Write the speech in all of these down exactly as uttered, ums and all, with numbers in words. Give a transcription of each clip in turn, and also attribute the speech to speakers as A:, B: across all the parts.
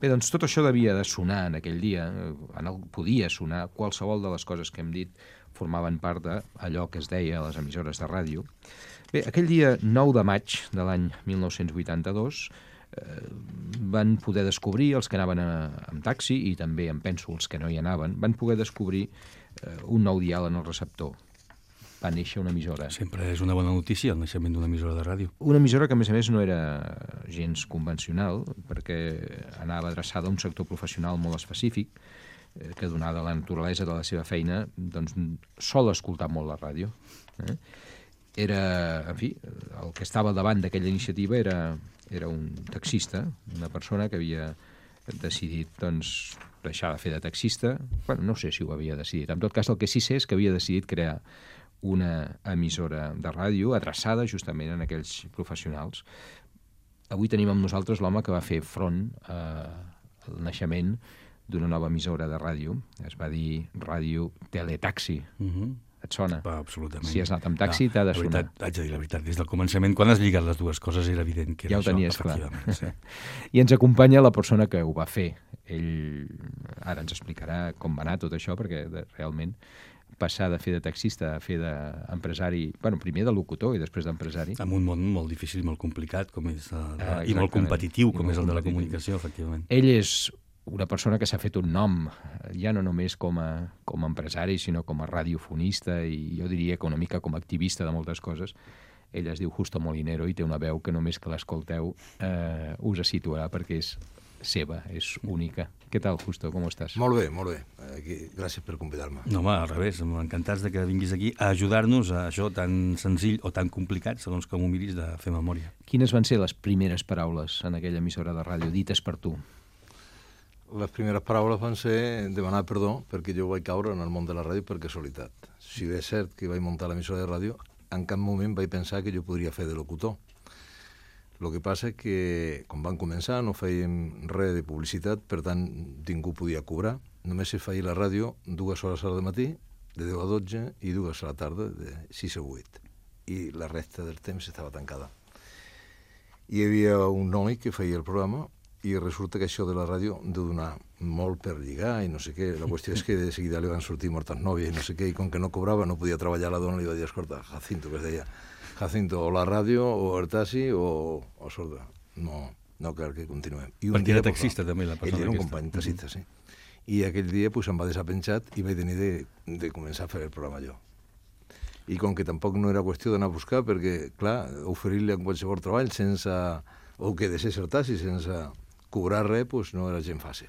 A: Bé, doncs tot això devia de sonar en aquell dia, en el, podia sonar, qualsevol de les coses que hem dit formaven part d'allò que es deia a les emissores de ràdio. Bé, aquell dia nou de maig de l'any mil nou-cents vuitanta-dos eh, van poder descobrir, els que anaven a, amb taxi, i també em penso els que no hi anaven, van poder descobrir eh, un nou dial en el receptor. Va néixer una emissora.
B: Sempre és una bona notícia el naixement d'una emissora de ràdio.
A: Una emissora que, a més a més, no era gens convencional, perquè anava adreçada a un sector professional molt específic, eh, que, donada la naturalesa de la seva feina, doncs sol escoltar molt la ràdio. Eh? Era, en fi, el que estava al davant d'aquella iniciativa era, era un taxista, una persona que havia decidit, doncs, deixar de fer de taxista. Bueno, no sé si ho havia decidit. En tot cas, el que sí sé és que havia decidit crear una emissora de ràdio adreçada justament en aquells professionals. Avui tenim amb nosaltres l'home que va fer front eh, al naixement d'una nova emissora de ràdio. Es va dir Ràdio Teletaxi.
B: Uh-huh.
A: Et sona?
B: Va, absolutament.
A: Si has anat amb taxi,
B: no,
A: t'ha de
B: la
A: sonar.
B: veritat, haig de dir la veritat, des del començament, quan has lligat les dues coses, era evident que era
A: ja ho
B: això,
A: tenies clar.
B: Sí.
A: I ens acompanya la persona que ho va fer. Ell ara ens explicarà com va anar tot això, perquè de, realment passar de fer de taxista a fer d'empresari, bueno, primer de locutor i després d'empresari.
B: En un món molt difícil, molt complicat, com és, uh,
A: ah,
B: i molt competitiu, com
A: molt
B: és el de la
A: competitiu.
B: comunicació, efectivament.
A: Ell és una persona que s'ha fet un nom, ja no només com a, com a empresari, sinó com a radiofonista i jo diria que una mica com a activista de moltes coses. Ell es diu Justo Molinero i té una veu que només que l'escolteu eh, us situarà perquè és seva, és única. Què tal, Justo? Com estàs?
C: Molt bé, molt bé. Aquí, gràcies per convidar-me.
B: No, home, al revés, encantats de que vinguis aquí a ajudar-nos a això tan senzill o tan complicat, segons com ho miris, de fer memòria.
A: Quines van ser les primeres paraules en aquella emissora de ràdio dites per tu?
C: Les primeres paraules van ser demanar perdó perquè jo vaig caure en el món de la ràdio per casualitat. Si bé és cert que vaig muntar l'emissora de ràdio, en cap moment vaig pensar que jo podria fer de locutor. El que passa és que, quan van començar, no fèiem res de publicitat, per tant, ningú podia cobrar. Només es feia la ràdio dues hores al matí, de deu a dotze, i dues a la tarda, de sis a vuit. I la resta del temps estava tancada. Hi havia un noi que feia el programa, i resulta que això de la ràdio de donar molt per lligar i no sé què. La qüestió és que de seguida li van sortir moltes nòvies i no sé què, i com que no cobrava, no podia treballar la dona, li va dir, escolta, Jacinto, que es deia, Jacinto, o la ràdio, o el taxi, o, o sorda. No, no cal que continuem. I
B: perquè era taxista, també, la persona
C: aquesta. Ell era un
B: aquesta.
C: company taxista, sí. I aquell dia pues, em va deixar penjat i vaig tenir de, de començar a fer el programa jo. I com que tampoc no era qüestió d'anar a buscar, perquè, clar, oferir-li en qualsevol treball sense, o que deixés el taxi sense cobrar res, pues, no era gens fàcil.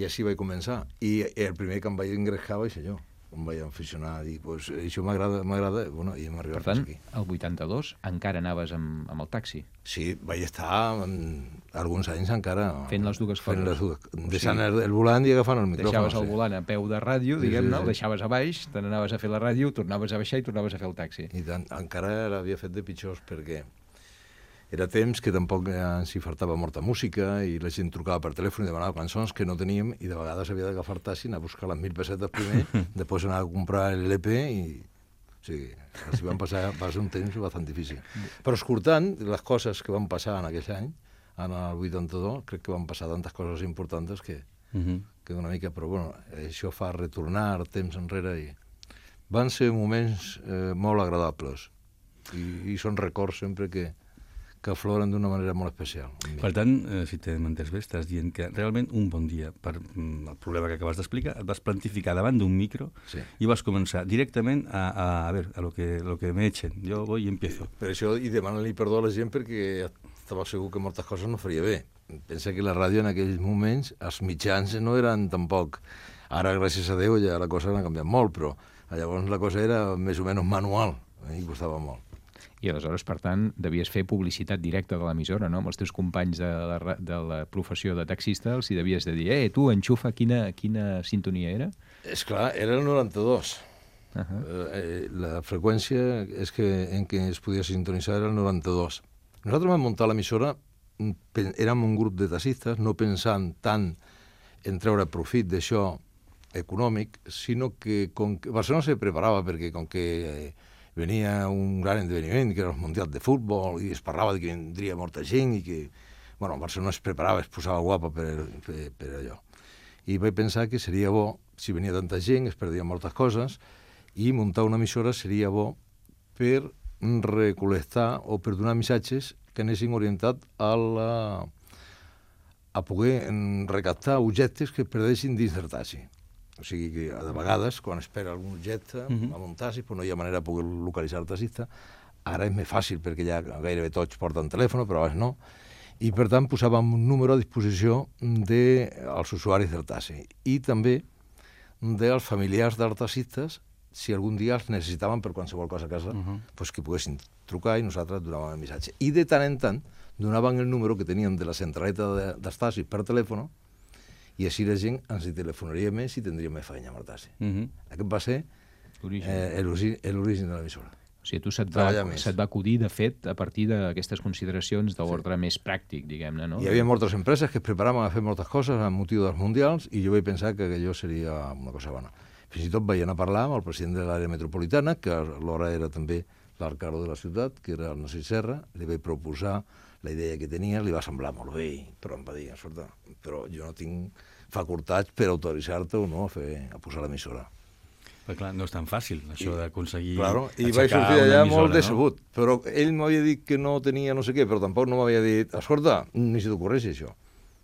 C: I així vaig començar. I el primer que em vaig ingrescar va ser jo. Em vaig aficionar a dir, pues, això m'agrada, m'agrada, bueno, i hem arribat
A: per tant,
C: fins aquí.
A: el vuitanta-dos encara anaves amb, amb el taxi?
C: Sí, vaig estar en, alguns anys encara...
A: Fent les dues coses.
C: Fent les dues, deixant el, el volant i agafant el micròfon.
A: Deixaves el
C: sí.
A: volant a peu de ràdio,
C: Sí,
A: diguem-ne,
C: sí, sí.
A: el deixaves a baix, te n'anaves a fer la ràdio, tornaves a baixar i tornaves a fer el taxi.
C: I tant, encara l'havia fet de pitjors perquè era temps que tampoc ens hi faltava molta música i la gent trucava per telèfon i demanava cançons que no teníem i de vegades havia d'agafar taxi, anar a buscar les mil pessetes primer, després anar a comprar l'E P i... O sigui, així van passar, va ser un temps bastant difícil. Però escoltant les coses que van passar en aquell any, en el vuitanta-dos, crec que van passar tantes coses importants que,
B: Uh -huh.
C: que una mica... Però bueno, això fa retornar temps enrere i... Van ser moments eh, molt agradables i, i són records sempre que que afloren d'una manera molt especial.
B: Per tant, eh, si t'hem entès bé, estàs dient que realment un bon dia, per mm, el problema que acabes d'explicar, et vas plantificar davant d'un micro
C: Sí.
B: i vas començar directament a, a, a ver, a lo que, lo que me echen. Jo voy y empiezo.
C: Per això, i demanar-li perdó a la gent perquè estava segur que moltes coses no faria bé. Pensa que la ràdio en aquells moments, els mitjans no eren tampoc... Ara, gràcies a Déu, ja la cosa ha canviat molt, però llavors la cosa era més o menys manual eh, i costava molt.
A: I aleshores, per tant, devies fer publicitat directa de l'emissora, no? Amb els teus companys de la, ra- de la professió de taxista els hi devies de dir eh, tu, enxufa, quina, quina sintonia era?
C: És clar, era el noranta-dos.
A: Uh -huh.
C: eh, la freqüència és que, en què es podia sintonitzar era el noranta-dos. Nosaltres vam muntar l'emissora, pen- érem un grup de taxistes, no pensant tant en treure profit d'això econòmic, sinó que, com que Barcelona se preparava perquè com que... Eh, venia un gran esdeveniment, que era el Mundial de Futbol, i es parlava de que vindria molta gent i que Bueno, Barcelona es preparava, es posava guapa per, per, per allò. I vaig pensar que seria bo, si venia tanta gent, es perdien moltes coses, i muntar una emissora seria bo per recol·lectar o per donar missatges que anessin orientats a, la, a poder recaptar objectes que es perdessin dins del taxi. O sigui que, de vegades, quan espera algun objecte uh-huh. a un taxi, pues no hi ha manera de poder localitzar el taxista. Ara és més fàcil, perquè ja gairebé tots porten telèfon, però abans no. I, per tant, posàvem un número a disposició dels usuaris del taxi. I també dels familiars dels taxistes, si algun dia els necessitaven per qualsevol cosa a casa, uh-huh. pues que poguessin trucar i nosaltres donàvem el missatge. I de tant en tant donaven el número que teníem de la centraleta de, dels taxis per telèfon, i així la gent ens hi telefonaria més i tindria més feina amb el taxi. Uh-huh. Aquest va ser eh, l'origen de l'emissora.
A: O sigui, tu se't va, se't va acudir, de fet, a partir d'aquestes consideracions d'ordre sí. més pràctic, diguem-ne, no?
C: Hi havia moltes empreses que es preparaven a fer moltes coses amb motiu dels mundials i jo vaig pensar que allò seria una cosa bona. Fins i tot vaig anar a parlar amb el president de l'àrea metropolitana, que alhora era també l'alcalde de la ciutat, que era el Narcís Serra, li vaig proposar la idea que tenia, li va semblar molt bé, però em va dir, escolta, però jo no tinc facultats per autoritzar-te o no a, fer, a posar l'emissora.
B: Però clar, no és tan fàcil, això d'aconseguir
C: claro, i vaig sortir d'allà molt decebut, no? Però ell m'havia dit que no tenia no sé què, però tampoc no m'havia dit, escolta, ni si t'ocorreixi això.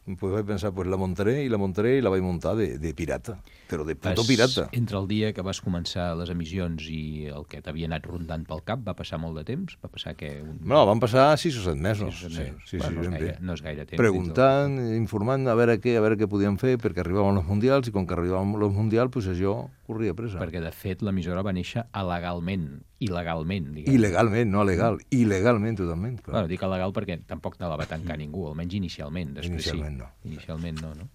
C: Pues vaig pensar, pues la muntaré i la muntaré i la vaig muntar de, de pirata, però de puto pirata.
A: Entre el dia que vas començar les emissions i el que t'havia anat rondant pel cap, va passar molt de temps? Va passar que... Un...
C: No, van passar sis o set mesos. Sis o set mesos. Sí, sí,
A: bueno,
C: sí,
A: no, és gaire, no és gaire temps.
C: Preguntant, del... informant, a veure què, a veure què podíem fer, perquè arribaven els mundials, i com que arribaven els mundials, pues això corria pressa.
A: Perquè, de fet, l'emissora va néixer alegalment, il·legalment, diguem.
C: Il·legalment, no legal, il·legalment totalment. Clar.
A: Bueno, dic legal perquè tampoc no la va tancar ningú, almenys inicialment.
C: Inicialment
A: sí.
C: no.
A: Inicialment no, no?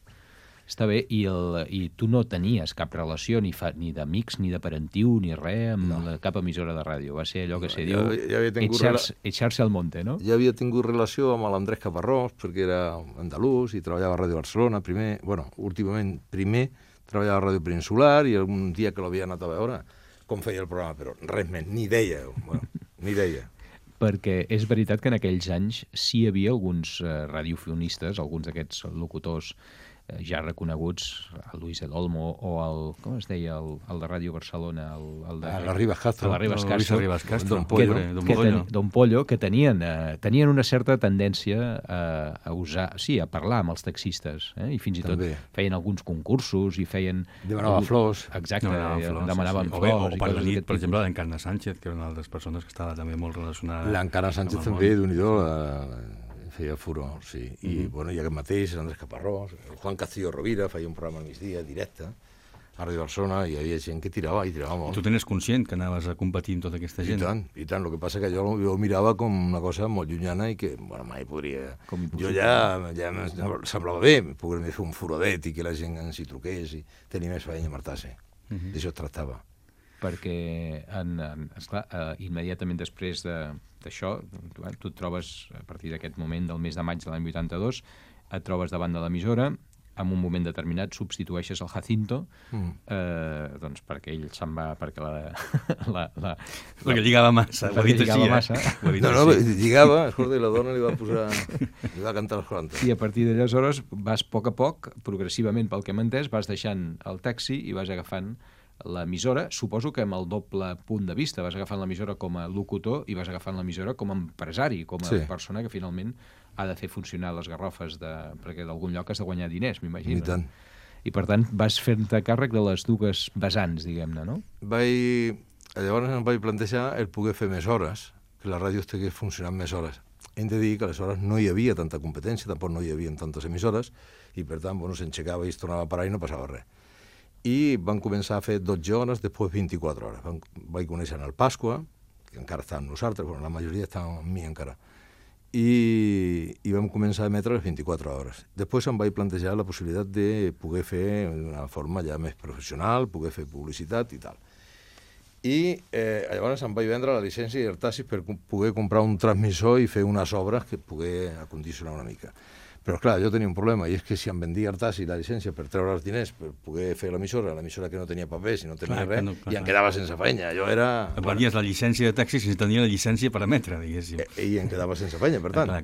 A: Està bé, i, el, i tu no tenies cap relació ni, fa, ni d'amics, ni de parentiu, ni res amb no. la, cap emissora de ràdio. Va ser allò que se diu
C: ja, ja
A: echarse, echarse al monte, no?
C: Ja havia tingut relació amb l'Andrés Caparrós, perquè era andalús i treballava a Ràdio Barcelona. Primer, bueno, últimament, primer treballava a Ràdio Peninsular i algun dia que l'havia anat a veure com feia el programa, però res més, ni deia, bueno, ni deia.
A: Perquè és veritat que en aquells anys sí hi havia alguns eh, radiofonistes, alguns d'aquests locutors eh, ja reconeguts, el Luis del Olmo o el, com es deia, el, el de Ràdio Barcelona, el, el de...
C: Ah, la Ribas Castro.
A: La Ribas Castro.
B: No, Ribas Castro.
C: Don Pollo.
A: Que, Don, Pollo. Ten, Don Pollo, que tenien, eh, tenien una certa tendència a, a usar, sí, a parlar amb els taxistes, eh? I fins i tot També. feien alguns concursos i feien...
C: Demanava flors.
A: Exacte, demanaven flors. Demanaven
B: sí, sí.
A: flors
B: o, bé, o per la nit, per exemple,
A: tipus.
B: l'Encarna Sánchez, que era una altres persones que estava també molt relacionada...
C: L'Encarna Sánchez també, d'un-i-do, feia furor, sí. I, mm-hmm. bueno, i aquest mateix, l'Andrés Caparrós, el Juan Castillo Rovira feia un programa al migdia, directe, a Ràdio Barcelona, i hi havia gent que tirava, i tirava molt.
B: Tu tenies conscient que anaves a competir amb tota aquesta gent?
C: I tant, i tant. El que passa que jo, jo mirava com una cosa molt llunyana i que, bueno, mai podria... Jo ja, ja em semblava bé poder fer un furodet i que la gent ens hi truqués i tenir més feina a martar-se. Mm-hmm. D'això es tractava.
A: Perquè, en, en, esclar, eh, immediatament després d'això, tu, tu et trobes, a partir d'aquest moment del mes de maig de l'any vuitanta-dos, et trobes davant de l'emissora, en un moment determinat substitueixes el Jacinto, mm. eh, doncs perquè ell se'n va, perquè la... la, la
B: perquè lligava massa, ho ha dit així,
A: massa.
B: eh?
C: No, no, lligava, escolta, i la dona li va posar... li va cantar els quaranta.
A: I a partir d'aleshores vas a poc a poc, progressivament, pel que m'he entès, vas deixant el taxi i vas agafant l'emissora, suposo que amb el doble punt de vista, vas agafant l'emissora com a locutor i vas agafant l'emissora com a empresari, com a sí. persona que finalment ha de fer funcionar les garrofes, de, perquè d'algun lloc has de guanyar diners, m'imagino.
C: I tant.
A: I per tant vas fent-te càrrec de les dues vessants, diguem-ne, no?
C: Vaig... Llavors em vaig plantejar el poder fer més hores, que la ràdio estigués funcionant més hores. Hem de dir que aleshores no hi havia tanta competència, tampoc no hi havia tantes emissores, i per tant, bueno, s'enxecava i es tornava a parar i no passava res. I van començar a fer dotze hores, després vint-i-quatre hores. Van, vaig conèixer el Pasqua, que encara està amb nosaltres, però la majoria està amb mi encara, i, i vam començar a emetre les vint-i-quatre hores. Després em vaig plantejar la possibilitat de poder fer d'una forma ja més professional, poder fer publicitat i tal. I eh, llavors em vaig vendre la llicència del taxi per poder comprar un transmissor i fer unes obres que poder acondicionar una mica. Però, clar, jo tenia un problema, i és que si em vendia el taxi la llicència per treure els diners, per poder fer l'emissora, l'emissora que no tenia papers i no tenia clar, res, no, clar, i em quedava sense feina. Jo era...
B: Et venies la llicència de taxi sense tenir la llicència per emetre, diguéssim.
C: I, i em quedava sense feina, per tant.
B: Clar, clar.